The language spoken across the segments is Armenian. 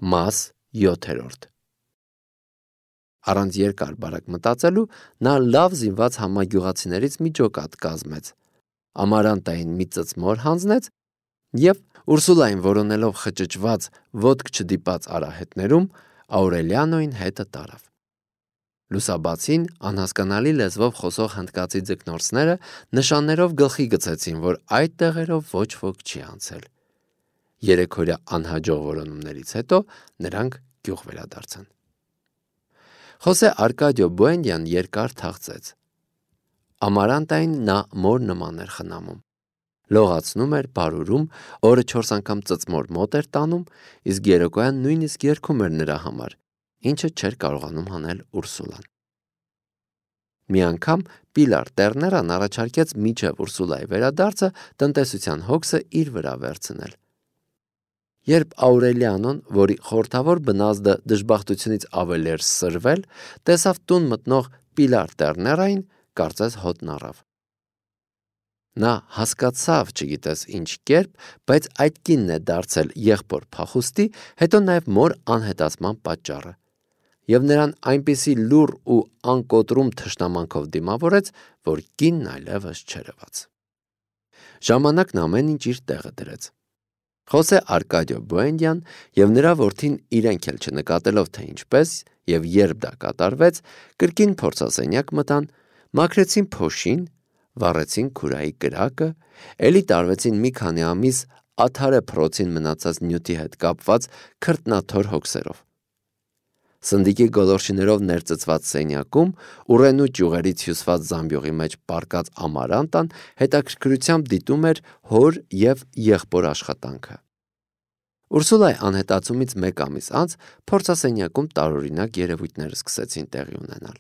Մաս 7. Առանց երկար բարակ մտածելու նա լավ զինված համագյուղացիներից մի ջոկատ կազմեց, ամարանտային մի ծծմոր հանձնեց և Ուրսուլային որոնելով խճճված ոտք չդիպած արահետներում Աուրելիանոյին հետը տարավ։ Լուսաբացին անհասկանալի լեզվով խոսող հնդկացի ձկնորսները նշաններով գլխի գցեցին, որ այդ տեղերով ոչ ոք չի անցել։ Երեքօրյա անհաջող որոնումներից հետո նրանք գյուղ վերադարձան։ Խոսե Արկադիո Բուենդյան երկար թախծեց։ Ամարանտային նա մոր նման էր խնամում։ Լողացնում էր, բարուրում, օրը 4 անգամ ծծմոր մոտ էր տանում, իսկ երեկոյան նույնիսկ երգում էր նրա համար, ինչը չէր կարողանում անել Ուրսուլան։ Մի անգամ Պիլար Տերներան առաջարկեց մինչև Ուրսուլայի վերադարձը տնտեսության հոգսը իր վրա վերցնել։ Երբ Աուրելիանոն, որի խորհրդավոր բնազդը դժբախտությունից ավելի էր սրվել, տեսավ տուն մտնող Պիլար Տերներային, կարծես հոտն առավ։ Նա հասկացավ չգիտես ինչ կերպ, բայց այդ կինն է դարձել եղբոր փախուստի, հետո նաև մոր անհետացման պատճառը, և նրան այնպիսի լուռ ու անկոտրում թշնամանքով դիմավորեց, որ կինն այլևս չերևաց։ Ժամանակն ամեն ինչ իր տեղը դրեց։ Խոսե Արկադիո Բուենդյան և նրա որդին իրենք էլ չնկատելով, թե ինչպես և երբ դա կատարվեց, կրկին փորձասենյակ մտան, մաքրեցին փոշին, վառեցին քուրայի կրակը, էլի տարվեցին մի քանի ամիս ադհարե փռոցին մնացած նյութի հետ կապված քրտնաթոր հոգսերով։ Սնդիկի գոլորշիներով ներծծված սենյակում ուռենու ճյուղերից հյուսված զամբյուղի մեջ պառկած Ամարանտան հետաքրքրությամբ դիտում էր հոր և եղբոր աշխատանքը։ Ուրսուլայի անհետացումից մեկ ամիս անց փորձասենյակում տարօրինակ երևույթներ սկսեցին տեղի ունենալ։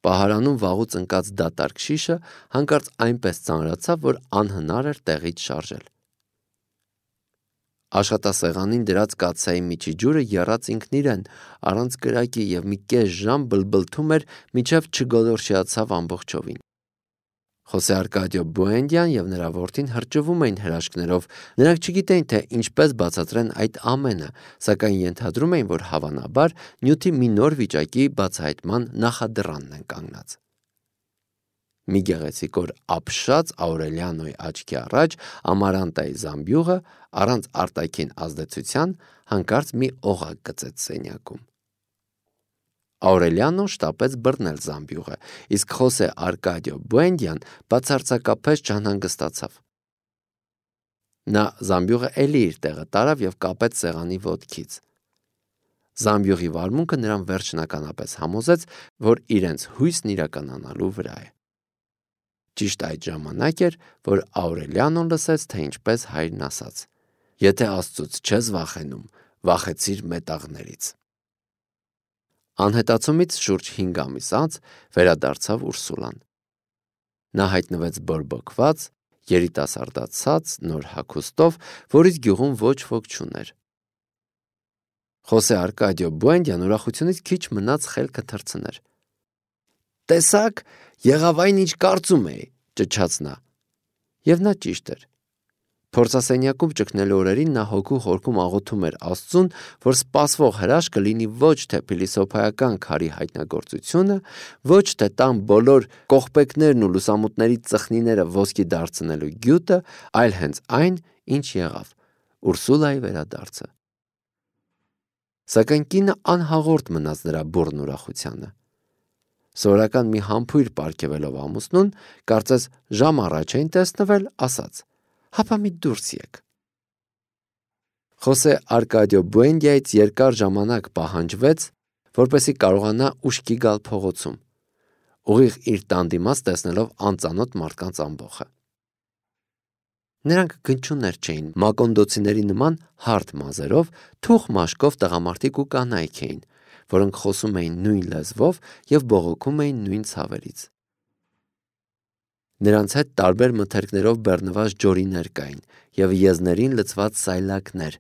Պահարանում վաղուց ընկած դատարկ շիշը հանկարծ այնպես ծանրացավ, որ անհնար էր տեղից շարժել։ Աշխատասեղանին դրած կաթսայի միջի ջուրը եռաց ինքն իրեն, առանց կրակի և մի կես ժամ բլբլթում էր, մինչև չգոլորշիացավ ամբողջովին։ Խոսե Արկադիո Բուենդյան և նրա որդին հրճվում էին հրաշքներով, նրանք չգիտեին, թե ինչպես բացատրեն այդ ամենը, սակայն ենթադրում էին, որ հավանաբար նյութի մի նոր վիճակի բացահայտման նախադռանն են կանգնած։ Մի գեղեցիկ օր ապշած Աուրելիանոյի աչքի առաջ Ամարանտայի զամբյուղը առանց արտաքին ազդեցության հանկարծ մի օղակ գծեց սենյակում։ Աուրելիանոն շտապեց բռնել զամբյուղը, իսկ խոսե Արկադիո Բուենդյան բացարձակապես չանհանգստացավ։ Նա զամբյուղը էլի իր տեղը տարավ և կապեց սեղանի ոտքից։ Զամբյուղի վարմունքը նրան վերջնականապես համոզեց, որ իրենց հույսն իրականանալու վրա է։ Ճիշտ այդ ժամանակ էր, որ Աուրելիանոն լսեց, թե ինչպես հայրն ասաց. «Եթե Աստծուց չես վախենում, վախեցիր մետաղներից»։ Անհետացումից շուրջ 5 ամիս անց վերադարձավ Ուրսուլան։ Նա հայտնվեց բորբոքված, երիտասարդացած, նոր հագուստով, որից գյուղում ոչ ոք չուներ։ Խոսե Արկադիո Բուենդյան ուրախությունից քիչ մնաց խելքը թռցներ։ «Տեսաք, եղավ այն, ինչ կարծում էի», ճչաց նա։ Եվ նա ճիշտ էր։ Փորձասենյակում ճգնելու օրերին նա հոգու խորքում աղոթում էր Աստծուն, որ սպասվող հրաշքը լինի ոչ թե փիլիսոփայական քարի հայտնագործությունը, ոչ թե տան բոլոր կողպեքներն ու լուսամուտների ծխնիները ոսկի դարձնելու գյուտը, այլ հենց այն, ինչ եղավ՝ Ուրսուլայի վերադարձը։ Սակայն կինը անհաղորդ մնաց նրա բուռն ուրախությանը։ Սովորական մի համբույր պարգևելով ամուսնուն, կարծես ժամ առաջ էին տեսնվել, ասաց. «Հապա մի դուրս եք»։ Խոսե Արկադիո Բուենդյայից երկար ժամանակ պահանջվեց, որպեսզի կարողանա ուշքի գալ փողոցում, ուղիղ իր տան դիմաց տեսնելով անծանոթ մարդկանց ամբոխը։ Նրանք գնչուներ չէին, մակոնդոցիների նման հարթ մազերով, թուխ մաշկով տղամարդիկ ու կանայք էին, որոնք խոսում էին նույն լեզվով և բողոքում էին նույն ցավերից։ Նրանց հետ տարբեր մթերքներով բեռնված ջորիներ կային և եզներին լցված սայլակներ,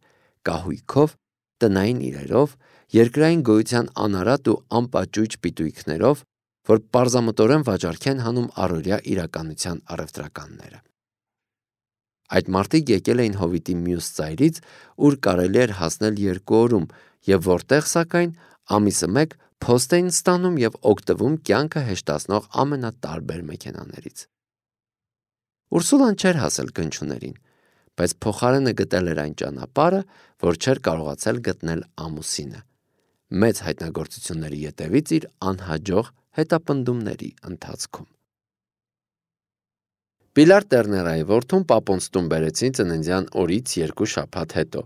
կահույքով, տնային իրերով, երկրային գոյության անարատ ու անպաճույճ պիտույքներով, որ պարզամտորեն վաճառք են հանում առօրյա իրականության առևտրականները։ Այդ մարդիկ եկել էին Հովիտի մյուս ծայրից, ուր կարելի էր հասնել 2 օրում, եւ որտեղ սակայն ամիսը մեկ փոստ էին ստանում եւ օգտվում կյանքը հեշտացնող ամենատարբեր մեքենաներից։ Ուրսուլան չէր հասել գնչուներին, բայց փոխարենը գտել էր այն ճանապարհը, որ չէր կարողացել գտնել ամուսինը, մեծ հայտնագործությունների ետևից իր անհաջող հետապնդումների ընթացքում։ Պիլար Տերներայի որդուն պապոնց տուն բերեցին ծննդյան օրից 2 շաբաթ հետո։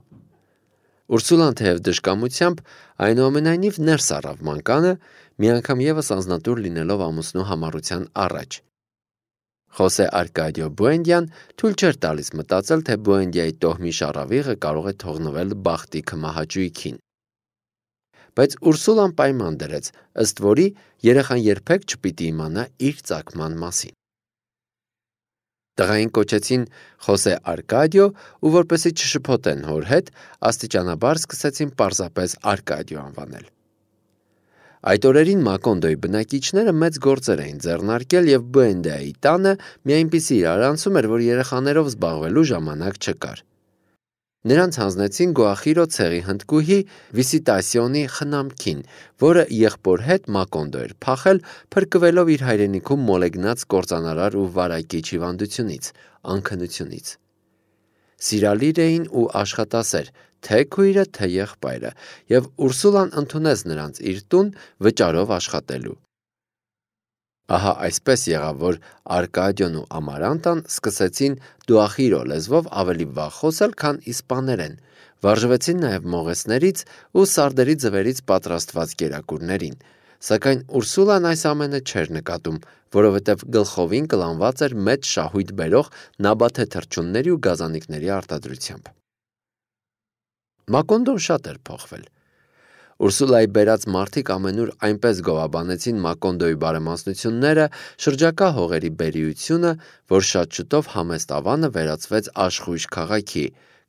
Ուրսուլան թեև դժկամությամբ այնուամենայնիվ ներս առավ մանկանը, մի անգամ եւս անձնատուր լինելով ամուսնու համառության առաջ։ Խոսե Արկադիո Բուենդյան թույլ չէր տալիս մտածել, թե Բուենդիայի տոհմի շառավիղը կարող է թողնվել բախտի քմահաճույքին։ Բայց Ուրսուլան պայման դրեց, ըստ որի երեխան երբեք չպիտի իմանա իր ծագման մասին։ Տղային կոչեցին Խոսե Արկադիո ու որպեսզի չշփոթեն հոր հետ, աստիճանաբար սկսեցին պարզապես Արկադիո անվանել։ Այդ օրերին Մակոնդոյի բնակիչները մեծ գործեր էին ձեռնարկել եւ Բուենդիայի տանը մի այնպիսի իրարանցում էր, որ երեխաներով զբաղվելու ժամանակ չկար։ Նրանց հանձնեցին Գուախիրո ցեղի հնդկուհի Վիսիտասիոնի խնամքին, որը եղբոր հետ Մակոնդո էր փախել, փրկվելով իր հայրենիքում մոլեգնած կործանարար ու վարակիչ հիվանդությունից, անքնությունից։ Սիրալիր էին ու աշխատասեր, թե քույրը, թե եղբայրը, եւ Ուրսուլան ընդունեց նրանց իր տուն վճարով աշխատելու։ Ահա այսպես եղավ, որ Արկադիոն ու Ամարանտան սկսեցին դուախիրո լեզվով ավելի վաղ խոսել, քան իսպաներեն, վարժվեցին նաև մողեսներից ու սարդերի ձվերից պատրաստված կերակուրներին, սակայն Ուրսուլան այս ամենը չէր նկատում, որովհետև գլխովին կլանված էր մեծ շահույթ բերող նաբաթե թռչունների ու գազանիկների արտադրությամբ։ Մակոնդոն շատ էր փոխվել։ Ուրսուլայի բերած մարդիկ ամենուր այնպես գովաբանեցին Մակոնդոյի բարեմասնությունները, շրջակա հողերի բերիությունը, որ շատ շուտով համեստ ավանը վերածվեց աշխույժ քաղաքի,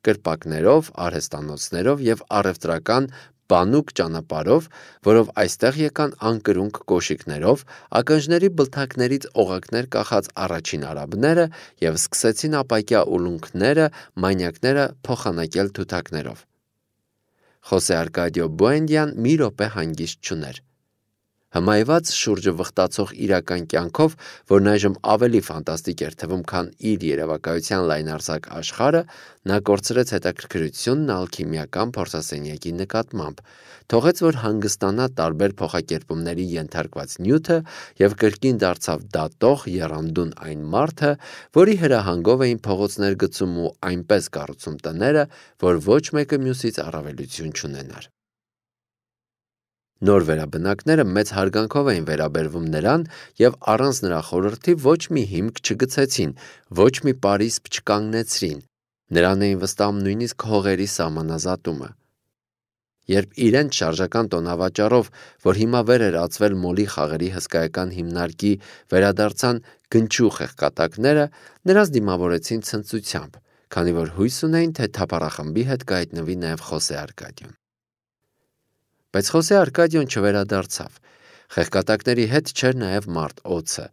կրպակներով, արհեստանոցներով եւ առևտրական բանուկ ճանապարհով, որով այստեղ եկան անկրունկ կոշիկներով, ակնժների բլթակներից օղակներ կախած առաջին արաբները եւ սկսեցին ապակյա ուլունքները, մանյակները փոխանակել թութակներով։ Խոսե Արկադիո Բուենդյան մի րոպե հանգիստ չուներ։ Հմայված շուրջը վխտացող իրական կյանքով, որն այժմ ավելի ֆանտաստիկ էր թվում, քան իր երևակայության լայնարձակ աշխարհը, նա կորցրեց հետաքրքրությունն ալքիմիական փորձասենյակի նկատմամբ, թողեց, որ հանգստանա տարբեր փոխակերպումների ենթարկված նյութը եւ կրկին դարձավ դատող եռանդուն այն մարդը, որի հրահանգով էին փողոցներ գցում ու այնպես կառուցում տները, որ ոչ մեկը մյուսից առավելություն չունենար։ Նոր վերաբնակները մեծ հարգանքով էին վերաբերվում նրան եւ առանց նրա խորհրդի ոչ մի հիմք չգցեցին, ոչ մի պարիսպ չկանգնեցրին, նրան էին վստահում նույնիսկ հողերի սահմանազատումը։ Երբ իրենց շարժական տոնավաճառով, որ հիմա վեր էր ածվել մոլի խաղերի հսկայական հիմնարկի, վերադարձան գնչու խեղկատակները, նրանց դիմավորեցին ցնծությամբ, քանի որ հույս ունեին, թե թափառախմբի հետ կհայտնվի նաև Խոսե Արկադիոն։ Բայց Խոսե Արկադիոն չվերադարձավ։ Խեղկատակների հետ չէր նաև մարդ Օցը,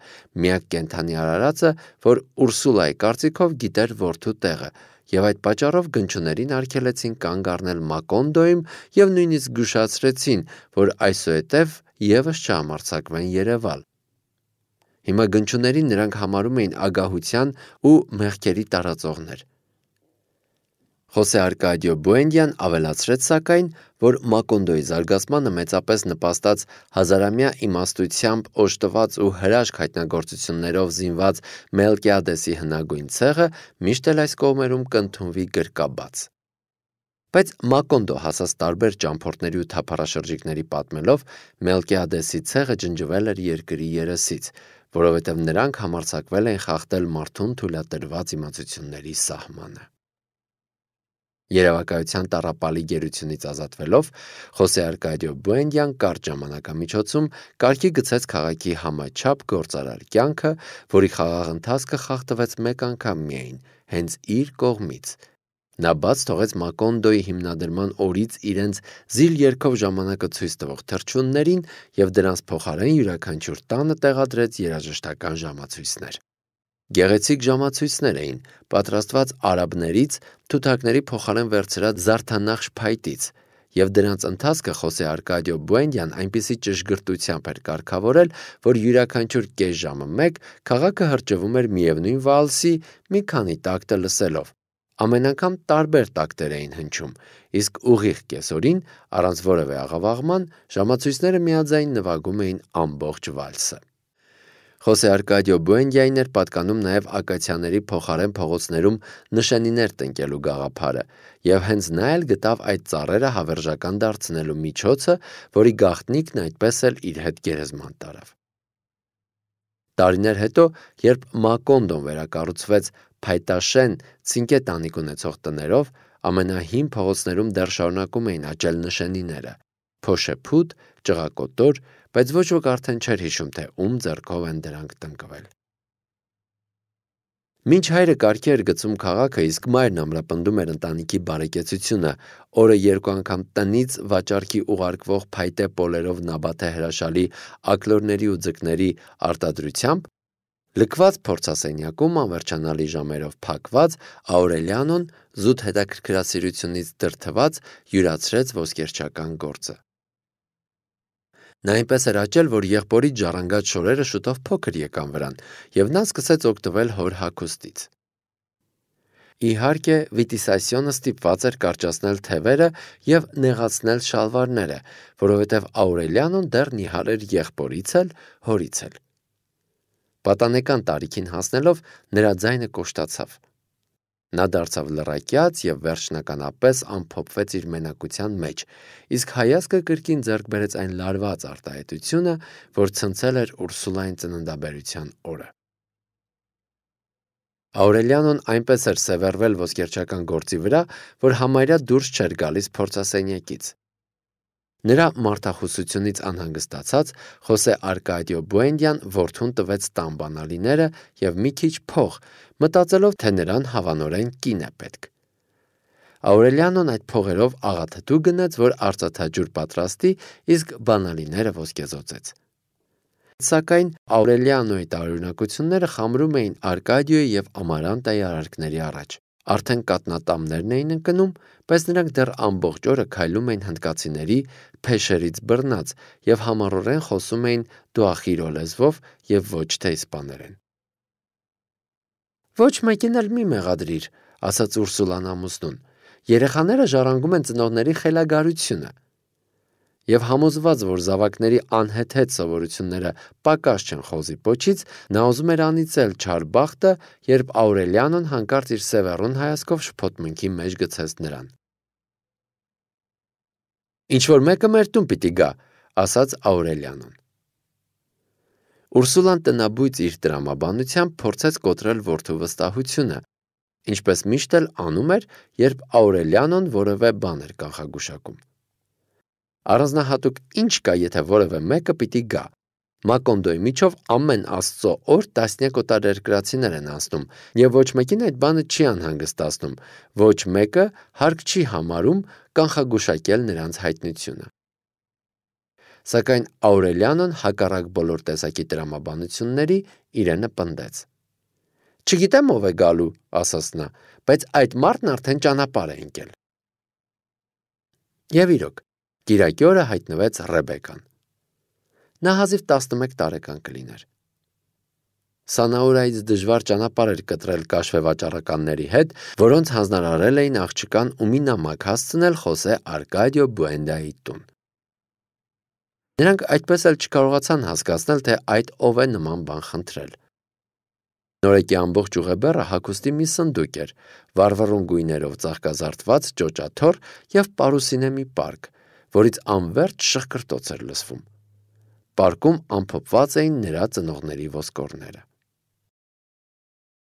միակ կենդանի արարածը, որ Ուրսուլայի կարծիքով գիտեր որդու տեղը, եւ այդ պատճառով գնչուներին արգելեցին կանգ առնել Մակոնդոյում եւ նույնիսկ զգուշացրեցին, որ այսուհետև եւս չհամարձակվեն երևալ։ Հիմա գնչուներին նրանք համարում էին ագահության ու մեղքերի տարածողներ։ Խոսե Արկադիո Բուենդյան ավելացրեց սակայն, որ Մակոնդոյի զարգացմանը մեծապես նպաստած հազարամյա իմաստությամբ օժտված ու հրաշք հայտնագործություններով զինված Մելկիադեսի հնագույն ցեղը միշտ էլ այս կողմերում կընդունվի գրկաբաց։ Բայց Մակոնդո հասած տարբեր ճամփորդների ու թափառաշրջիկների պատմելով Մելկիադեսի ցեղը ջնջվել էր երկրի երեսից, որովհետև նրանք համարձակվել են խախտել մարդուն թույլատրված իմացությունների սահմանը։ Երևակայության տառապալի գերությունից ազատվելով Խոսե Արկադիո Բուենդյան կարճ ժամանակամիջոցում կարգի գցեց քաղաքի համաչափ գործարար կյանքը, որի խաղաղ ընթացքը խախտվեց մեկ անգամ միայն, հենց իր կողմից։ Նա բաց թողեց Մակոնդոյի հիմնադրման օրից իրենց զիլ երգով ժամանակը ցույց տվող թռչուններին եւ դրանց փոխարեն յուրաքանչյուր տանը տեղադրեց երաժշտական ժամացույցներ։ Գեղեցիկ ժամացույցներ էին, պատրաստված արաբներից թութակների փոխարեն վերցրած զարդանախշ փայտից, և դրանց ընթացքը Խոսե Արկադիո Բուենդյան այնպիսի ճշգրտությամբ էր կարգավորել, որ յուրաքանչյուր կես ժամը մեկ քաղաքը հրճվում էր միևնույն վալսի մի քանի տակտը լսելով։ Ամեն անգամ տարբեր տակտեր էին հնչում, իսկ ուղիղ կեսօրին, առանց որևէ աղավաղման, ժամացույցները միաձայն նվագում էին ամբողջ վալսը։ Խոսե Արկադիո Բուենդիային էր պատկանում նաև ակացիաների փոխարեն փողոցներում նշանիներ տնկելու գաղափարը, և հենց նա էլ գտավ այդ ծառերը հավերժական դարձնելու միջոցը, որի գաղտնիքն այդպես էլ իր հետ գերեզման տարավ։ Տարիներ հետո, երբ Մակոնդոն վերակառուցվեց փայտաշեն ցինկե տանիք ունեցող տներով, ամենահին փողոցներում դեռ շարունակում էին աճել նշանիները՝ փոշեփուտ, ճղակոտոր, բայց ոչ ոք արդեն չէր հիշում, թե ում ձեռքով են դրանք տնկվել։ Մինչ հայրը կարգի էր գցում քաղաքը, իսկ մայրն ամրապնդում էր ընտանիքի բարեկեցությունը, օրը 2 անգամ տնից վաճառքի ուղարկվող փայտե պոլերով նաբաթե հրաշալի ակլորների ու ձկների արտադրությամբ, լքված փորձասենյակում անվերջանալի ժամերով փակված, Աուրելիանոն զուտ հետաքրքրասիրությունից դրդված յուրացրեց ոսկերչական գործը։ Նա այնպես էր աճել, որ եղբորից ժառանգած շորերը շուտով փոքր եկան վրան, և նա սկսեց օգտվել հոր հագուստից։ Իհարկե, Վիտիսասյոնը ստիպված էր կարճացնել թևերը և նեղացնել շալվարները, որովհետև Աուրելիանոն դեռ նիհար էր եղբորից էլ, հորից էլ։ Պատանեկան տարիքին հասնելով, նրա ձայնը կոշտացավ։ Նա դարձավ լռակյաց և վերջնականապես ամփոփվեց իր մենակության մեջ, իսկ հայացքը կրկին ձեռք բերեց այն լարված արտահայտությունը, որ ցնցել էր Ուրսուլային ծննդաբերության օրը։ Աուրելիանոն այնպես էր սևեռվել ոսկերչական գործի վրա, որ համարյա դուրս չէր գալիս փորձասենյակից։ Նրա մարդախուսությունից անհանգստացած, Խոսե Արկադիո Բուենդյան որդուն տվեց տան բանալիները և մի քիչ փող, մտածելով, թե նրան հավանորեն կին է պետք։ Աուրելիանոն այդ փողերով աղաթթու գնեց, որ արծաթաջուր պատրաստի, իսկ բանալիները ոսկեզօծեց։ Սակայն Աուրելիանոյի տարօրինակությունները խամրում էին Արկադիոյի և Ամարանտայի արարքների առաջ։ Արդեն կաթնատամներն էին ընկնում, բայց նրանք դեռ ամբողջ օրը քայլում էին հնդկացիների փեշերից բռնած և համառորեն խոսում էին տուախիրո լեզվով և ոչ թե իսպաներեն։ «Ոչ մեկին էլ մի մեղադրիր», ասաց Ուրսուլան ամուսնուն։ «Երեխաները ժառանգում են ծնողների խելագարությունը»։ Եվ համոզված, որ զավակների անհեթեթ սովորությունները պակաս չեն խոզի պոչից, նա ուզում էր անիծել չար բախտը, երբ Աուրելիանոն հանկարծ իր սևեռուն հայացքով շփոթմունքի մեջ գցեց նրան։ «Ինչ-որ մեկը մեր տուն պիտի գա», ասաց Աուրելիանոն։ Ուրսուլան տնաբույծ իր տրամաբանությամբ փորձեց կոտրել որդու վստահությունը, ինչպես միշտ էլ անում էր, երբ Աուրելիանոն որևէ բան էր կանխագուշակում։ Առանձնահատուկ ինչ կա, եթե որևէ մեկը պիտի գա։ Մակոնդոյի միջով ամեն Աստծո օր տասնյակ օտարերկրացիներ են անցնում, և ոչ մեկին այդ բանը չի անհանգստացնում, ոչ մեկը հարկ չի համարում կանխագուշակել նրանց հայտնությունը։ Սակայն Աուրելիանոն հակառակ բոլոր տեսակի տրամաբանությունների իրենը պնդեց։ «Չգիտեմ ով է գալու», ասաց նա, «բայց այդ մարդն արդեն ճանապարհ է ընկել»։ Եվ իրոք, կիրակի օրը հայտնվեց Ռեբեկան։ Նա հազիվ 11 տարեկան կլիներ։ Սանաուրայից դժվար ճանապարհ էր կտրել կաշվեվաճառականների հետ, որոնց հանձնարարել էին աղջկան ու մի նամակ հասցնել Խոսե Արկադիո Բուենդայի տուն։ Նրանք այդպես էլ չկարողացան հասկացնել, թե այդ ով է նման բան խնդրել։ Նորեկի ամբողջ ուղեբեռը հագուստի մի սնդուկ էր, վառվռուն գույներով ծաղկազարդված ճոճաթոռ և պարուսինե մի պարկ, որից անվերջ շխկրտոց էր լսվում։ Պարկում ամփոփված էին նրա ծնողների ոսկորները։